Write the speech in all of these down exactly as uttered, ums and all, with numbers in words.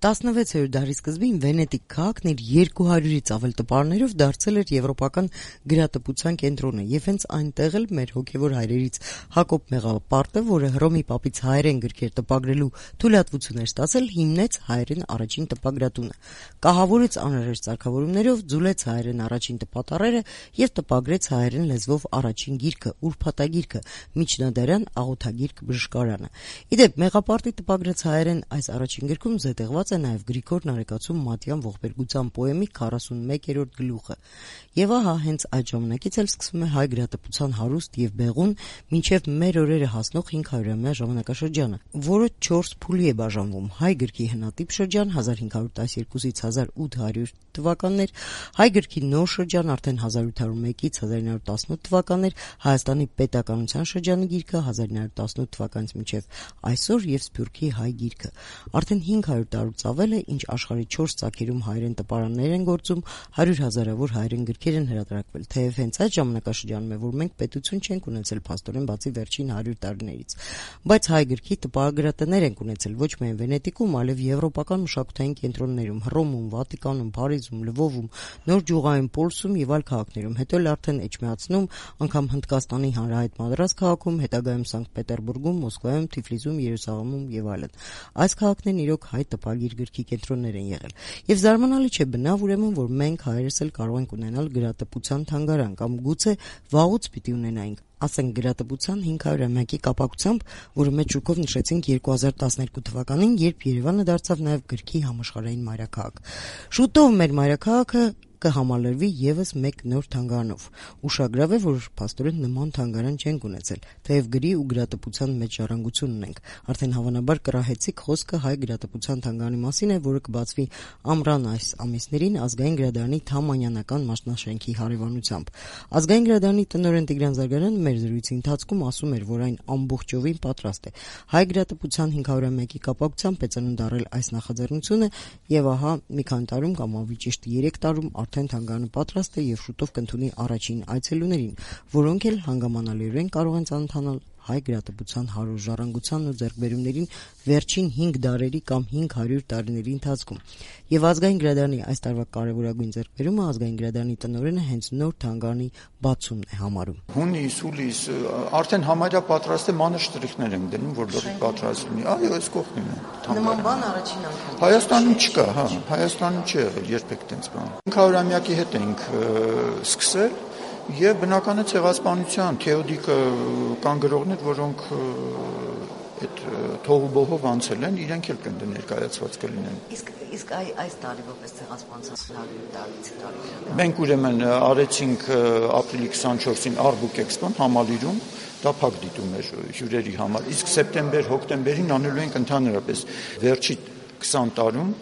տասնվեցերորդ դարի սկզբին Վենետիկ քաղաքն իր երկու հարյուրից ավել տպարներով դարձել էր եվրոպական գրատպության կենտրոնը, եւ հենց այնտեղ էլ մեր հոգեվոր հայրերից Հակոբ Մեղապարտը, որը Հռոմի պապից հայերեն գրքեր տպագրելու թույլատվություն էր ստացել, հիմնեց հայերեն առաջին տպագրատունը, կահավորեց անհրաժեշտ սարքավորումներով, ձուլեց հայերեն առաջին տպատառերը եւ տպագրեց հայերեն լեզվով առաջին գիրքը՝ ուրփաթագիրքը, միջնադարյան աղոթագիրք բժշկարանը։ Իդեպ Մեղապարտի տպագրած հայերեն այս առաջին գրքում զետեղված է նաև Գրիգոր Նարեկացու Մատյան ողբերգության պոեմի քառասունմեկերորդ գլուխը։ Եվ ահա հենց այդ ժամանակից էլ սկսվում է հայ գրատպության հարուստ եւ բեղուն մինչեւ մեր օրերը հասնող հինգ հարյուրամյա ժամանակաշրջանը, որը չորս փուլի է բաժանվում՝ հայ գրքի հնատիպ շրջան հազար հինգ հարյուր տասնյոթից հազար ութ հարյուր թվականներ, հայ գրքի նոր շրջան արդեն հազար ութ հարյուր մեկից հազար ինը հարյուր տասնութ թվականներ, Հայաստանի պետականության շրջանի գիրքը հազար ինը հարյուր տասնութ թվականից մինչեւ այսօր եւ Սփյուռքի հայ գիրքը։ Արդեն հինգ հարյուր տարուց ավել է, ինչ աշխարհի չորս ծագերում հայերեն տպարաններ են գործում, հարյուր հազարավոր հայերեն գրքեր են հրատարակվել, թեև հենց այդ ժամանակաշրջանում է, որ մենք պետություն չենք ունեցել փաստորեն բացի վերջին հարյուր տարիներից, բայց հայ գրքի տպագրատներ ենք ունեցել ոչ միայն Վենետիկում, այլև եվրոպական մշակութային կենտրոններում՝ Հռոմում, Վատիկանում, Փարիզում, Լվովում, Նոր Ջուղայում, Պոլսում եւ այլ քաղաքներում, հետո էլ արդեն Էջմիածնում, անգամ Հնդկաստանի հանրահայտ Մադրաս քաղաքում, հետագայում Սանկտ Պետերբուրգում, Մոսկվայում, Թիֆլիսում, Երուսաղեմում եւ այլն։ Այս քաղաքներն իրոք հայ տպագիր գրքի կենտրոններ են եղել։ Եվ զարմանալի չէ բնավ ուրեմն, որ մենք հայերս էլ կարող ենք ունենալ գրատպության թանգարան կամ գուցե վաղուց պիտի ունենայինք, ասենք գրատպության հինգ հարյուրամյակի կապակցությամբ, որը մեծ շուկով նշեցինք երկու հազար տասներկու թվականին, երբ Երևանը դարձավ նաև գրքի համաշխարհային մայրաքաղաք։ Շուտով մեր մայրաքաղաքը կհամալրվի եւս մեկ նոր թանգարանով։ Ուշագրավ է, որ փաստորեն նման թանգարան չենք ունեցել, թեև գրի ու գրատպության մեջ ժառանգություն ունենք։ Արդեն հավանաբար կռահեցիք խոսքը հայ գրատպության թանգարանի մասին է, որը կբացվի ամռան այս ամիսներին Ազգային գրադարանի Թամանյանական մասնաշենքի հարևանությամբ։ Ազգային գրադարանի տնօրեն Տիգրան Զարգարյանը մեր զրույցի ընթացքում ասում էր, որ այն ամբողջովին պատրաստ է հայ գրատպության հինգ հարյուրամյակի կապակցությամբ ծնունդ առել այս նախաձեռնությունը, եւ ահա մի քանի տարում կամ ավելի ճիշտ երեք տարում արդեն թանգարանը պատրաստ է եւ շուտով կընդունի առաջին այցելուներին, որոնք էլ հանգամանալիորեն կարող են ծանոթանալ հայ գրատպության հարուր ժառանգությանն ու ձեռքբերումներին վերջին հինգ դարերի կամ հինգ հարյուր տարիների ընթացքում։ Եվ Ազգային գրադարանի այս տարվա կարևորագույն ձեռքբերումը Ազգային գրադարանի տնօրենը հենց նոր թանգարանի բացումն է համարում։ Հունիս, հուլիս, արդեն համարյա պատրաստ է, մանր շտրիխներ են դնում, որ լրիվ պատրաստ լինի։ Այո, այս կողքին է։ Նման բան առաջին անգամ Հայաստանում չկա, հա, Հայաստանում չի եղել երբեք տենց բան։ հինգ հարյուրամյակի հետ ենք սկսել եւ բնական է ցեղասպանության թեոդիկը կան գրողներ, որոնք այդ թողուբոհով անցել են, իրենք էլ կընդ ներկայացված կլինեն։ Իսկ իսկ այ այս տարի որպես ցեղասպանության հարյուր տարից տարի։ Մենք ուրեմն արեցինք ապրիլի քսանչորսին Արբուկ Էքսպոն Համալիրում, դա փակ դիտում էր հյուրերի համար, իսկ սեպտեմբեր, հոկտեմբերին անելու ենք ընդհանրապես վերջի քսան տարում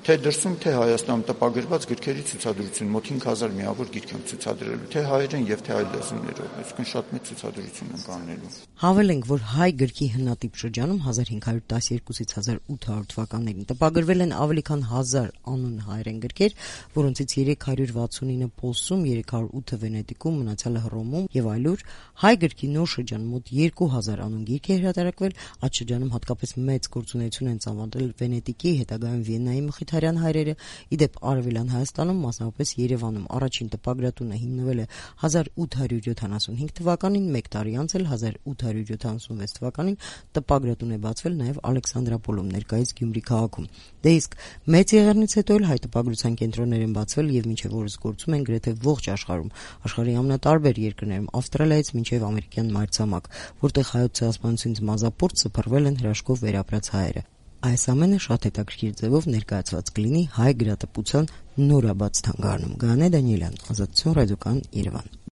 թե դրսում, թե Հայաստանում տպագրված գրքերի ցուցադրություն, մոտ հինգ հազար միավոր գիրք ենք ցուցադրելու, թե հայերեն եւ թե այլ լեզուներով, այսինքն շատ մեծ ցուցադրություն ենք անելու։ Հավելենք, որ հայ գրքի հնատիպ շրջանում հազար հինգ հարյուր տասնյոթից հազար ութ հարյուր թվականներին տպագրվել են ավելի քան հազար անուն հայերեն գրքեր, որոնցից երեք հարյուր վաթսունինը Պոլսում, երեք հարյուր ութը Վենետիկում, մնացյալը Հռոմում եւ այլուր։ Հայ գրքի նոր շրջանում մոտ երկու հազար անուն գիրք է հրատարակվել, այդ շրջանում հատկապես մեծ գործունեություն են ծավալել Վենետիկի, հետագայում Վիեննայի մխիթարյան հայրերը։ Իդեպ Արևելյան Հայաստանում, մասնավորապես Երևանում, առաջին տպագրատունը հիմնվել է հազար ութ հարյուր յոթանասունհինգ թվականին, մեկ տարի անց էլ հազար ութ հարյուր յոթանասունվեց թվականին տպագրատուն է բացվել նաև Ալեքսանդրապոլում, ներկայիս Գյումրի քաղաքում։ Դե իսկ մեծ եղեռնից հետո էլ հայ տպագրության կենտրոններ են բացվել եւ մինչեւ օրս գործում են գրեթե ողջ աշխարհում, աշխարհի ամենատարբեր երկրներում, Ավստրալիայից մինչեւ ամերիկյան մայրցամաք, որտեղ հայոց ցեղասպանությունից մազապուրտ սփռվել են հրաշքով վերապրած հայերը։ Այս ամենը շատ հետաքրքիր ձևով ներկայացված կլինի հայ գրատպության նորաբաց թանգարանում։ Գայանե Դանիելյան, Ազատություն ռադիոկայան, Երևան։